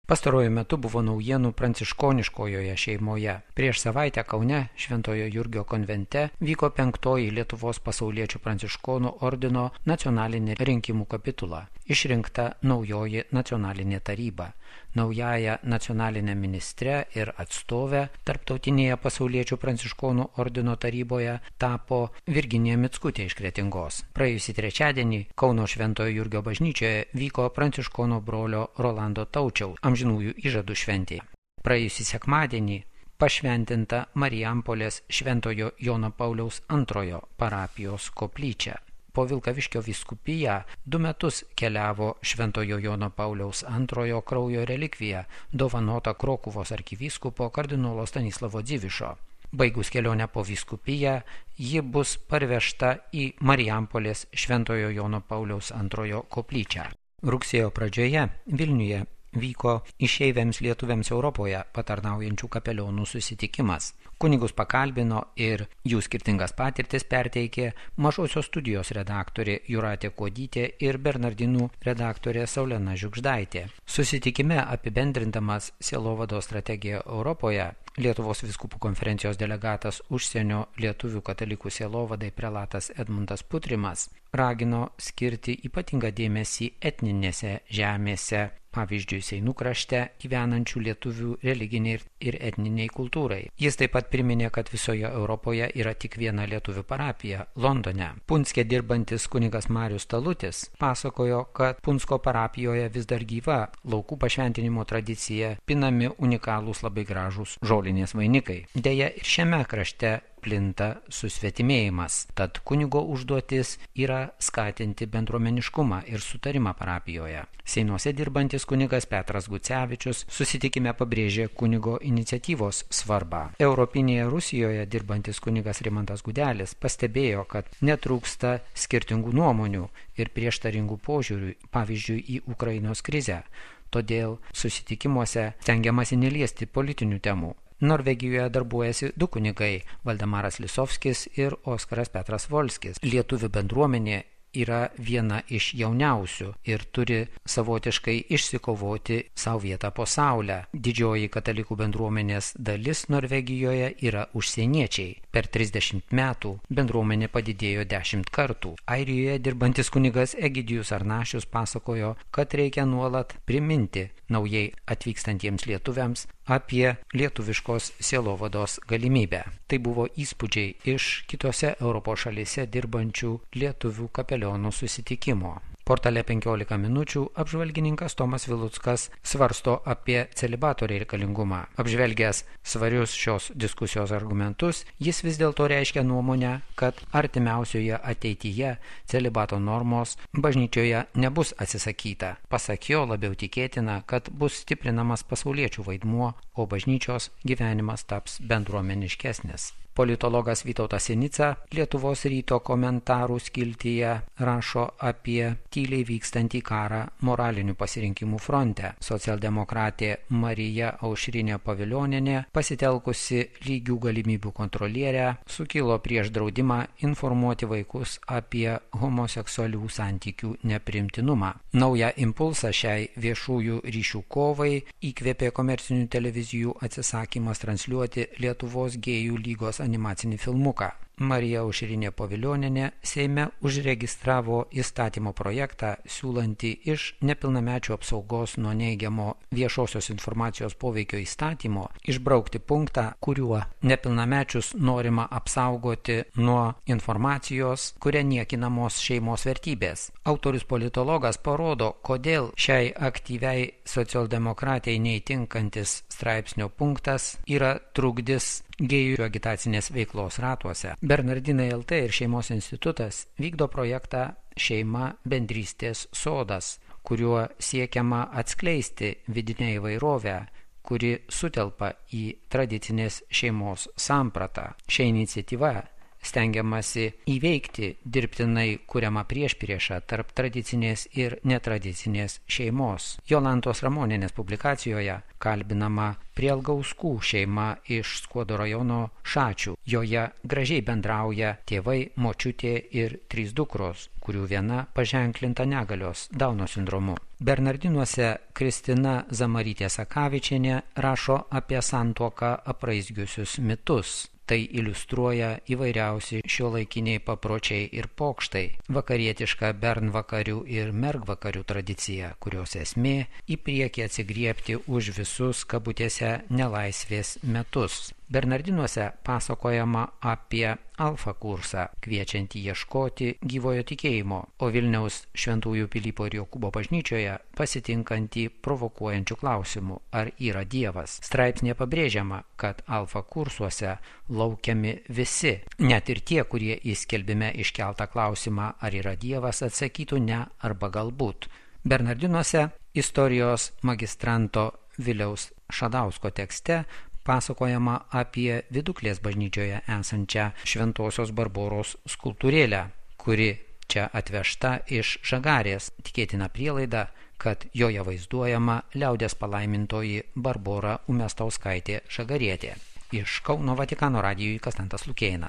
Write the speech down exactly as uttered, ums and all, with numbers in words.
Pastaruoju metu buvo naujienų pranciškoniškojoje šeimoje. Prieš savaitę Kaune Šventojo Jurgio konvente vyko penktoji Lietuvos pasauliečių pranciškonų ordino nacionalinė rinkimų kapitula. Išrinkta naujoji nacionalinė taryba. Naująją nacionalinę ministrę ir atstovę Tarptautinėje pasauliečių pranciškonų ordino taryboje tapo Virginija Mickutė iš Kretingos. Praėjusį trečiadienį Kauno Šventojo Jurgio bažnyčioje vyko pranciškono brolio Rolando Taučiaus amžinųjų įžadų šventė. Praėjusį sekmadienį pašventinta Marijampolės Šventojo Jono Pauliaus antrojo parapijos koplyčia. Po Vilkaviškio vyskupiją du metus keliavo Šventojo Jono Pauliaus antrojo kraujo relikvija, dovanota Krokuvos arkivyskupo kardinolo Stanislavo Dzivišo. Baigus kelionę po vyskupiją, ji bus parvežta į Marijampolės Šventojo Jono Pauliaus antrojo koplyčią. Rugsėjo pradžioje Vilniuje vyko išeiviams lietuviams Europoje patarnaujančių kapelionų susitikimas. Kunigus pakalbino ir jų skirtingas patirtis perteikė Mažosios studijos redaktorė Jūratė Kuodytė ir Bernardinų redaktorė Saulena Žiugždaitė. Susitikime apibendrindamas sielovados strategiją Europoje, Lietuvos vyskupų konferencijos delegatas užsienio lietuvių katalikų sielovadai prelatas Edmundas Putrimas ragino skirti ypatingą dėmesį etninėse žemėse, pavyzdžiui, Seinų krašte gyvenančių lietuvių religiniai ir etniniai kultūrai. Jis taip pat priminė, kad visoje Europoje yra tik viena lietuvių parapija – Londone. Punske dirbantis kunigas Marius Talutis pasakojo, kad Punsko parapijoje vis dar gyva laukų pašventinimo tradicija, pinami unikalūs labai gražūs žolinės vainikai. Deja, ir šiame krašte plinta susvetimėjimas, tad kunigo užduotis yra skatinti bendruomeniškumą ir sutarimą parapijoje. Seinuose dirbantis kunigas Petras Gucevičius susitikime pabrėžė kunigo iniciatyvos svarbą. Europinėje Rusijoje dirbantis kunigas Rimantas Gudelis pastebėjo, kad netrūksta skirtingų nuomonių ir prieštaringų požiūrių, pavyzdžiui, į Ukrainos krizę. Todėl susitikimuose stengiamasi neliesti politinių temų. Norvegijoje darbuojasi du kunigai – Valdemaras Lisovskis ir Oskaras Petras Volskis. Lietuvių bendruomenė yra viena iš jauniausių ir turi savotiškai išsikovoti savo vietą po saulę. Didžioji katalikų bendruomenės dalis Norvegijoje yra užsieniečiai. Per trisdešimt metų bendruomenė padidėjo dešimt kartų. Airijoje dirbantis kunigas Egidijus Arnašius pasakojo, kad reikia nuolat priminti naujai atvykstantiems lietuviams apie lietuviškos sielovados galimybę. Tai buvo įspūdžiai iš kitose Europos šalyse dirbančių lietuvių kapelionų susitikimo. Portale penkiolika minučių apžvalgininkas Tomas Viluckas svarsto apie celibato reikalingumą. Apžvelgęs svarius šios diskusijos argumentus, jis vis dėlto reiškia nuomonę, kad artimiausioje ateityje celibato normos bažnyčioje nebus atsisakyta. Pasak jo, labiau tikėtina, kad bus stiprinamas pasauliečių vaidmuo, o bažnyčios gyvenimas taps bendruomeniškesnis. Politologas Vytautas Sinica Lietuvos ryto komentarų skiltyje rašo apie tyliai vykstantį karą moralinių pasirinkimų fronte. Socialdemokratė Marija Aušrinė Pavilionienė, pasitelkusi lygių galimybių kontrolierę, sukilo prieš draudimą informuoti vaikus apie homoseksualių santykių neprimtinumą. Naują impulsą šiai viešųjų ryšių kovai įkvėpė komercinių televizijų atsisakymas transliuoti Lietuvos gėjų lygos animacinį filmuką. Marija Aušrinė Pavilionienė Seime užregistravo įstatymo projektą, siūlantį iš nepilnamečių apsaugos nuo neigiamo viešosios informacijos poveikio įstatymo išbraukti punktą, kuriuo nepilnamečius norima apsaugoti nuo informacijos, kuria niekinamos šeimos vertybės. Autorius politologas parodo, kodėl šiai aktyviai socialdemokratijai neįtinkantis straipsnio punktas yra trukdis gėjų agitacinės veiklos ratuose. Bernardinai L T ir Šeimos institutas vykdo projektą Šeima bendrystės sodas, kuriuo siekiama atskleisti vidinę įvairovę, kuri sutelpa į tradicinės šeimos sampratą. Šia iniciatyva stengiamasi įveikti dirbtinai kuriamą priešpriešą tarp tradicinės ir netradicinės šeimos. Jolantos Ramonienės publikacijoje kalbinama Prielgauskų šeima iš Skuodo rajono Šačių. Joje gražiai bendrauja tėvai, močiutė ir trys dukros, kurių viena paženklinta negalios Dauno sindromu. Bernardinuose Kristina Zamarytė Sakavičienė rašo apie santuoką apraizgiusius mitus. Tai iliustruoja įvairiausi šiuolaikiniai papročiai ir pokštai, vakarietiška bernvakarių ir mergvakarių tradicija, kurios esmė į priekį atsigriebti už visus kabutėse nelaisvės metus. Bernardinuose pasakojama apie alfa kursą, kviečiantį ieškoti gyvojo tikėjimo, o Vilniaus Šventųjų Pilypo ir Jokūbo bažnyčioje pasitinkantį provokuojančių klausimų, ar yra Dievas. Straipsnė pabrėžiama, kad alfa kursuose laukiami visi, net ir tie, kurie į skelbime iškeltą klausimą, ar yra Dievas, atsakytų ne arba galbūt. Bernardinuose istorijos magistranto Viliaus Šadausko tekste pasakojama apie Viduklės bažnyčioje esančią Šventosios Barboros skulptūrėlę, kuri čia atvežta iš Žagarės, tikėtina prielaida, kad joje vaizduojama liaudies palaimintoji Barbora Umestauskaitė Žagarietė. Iš Kauno Vatikano radijui Konstantas Lukėnas.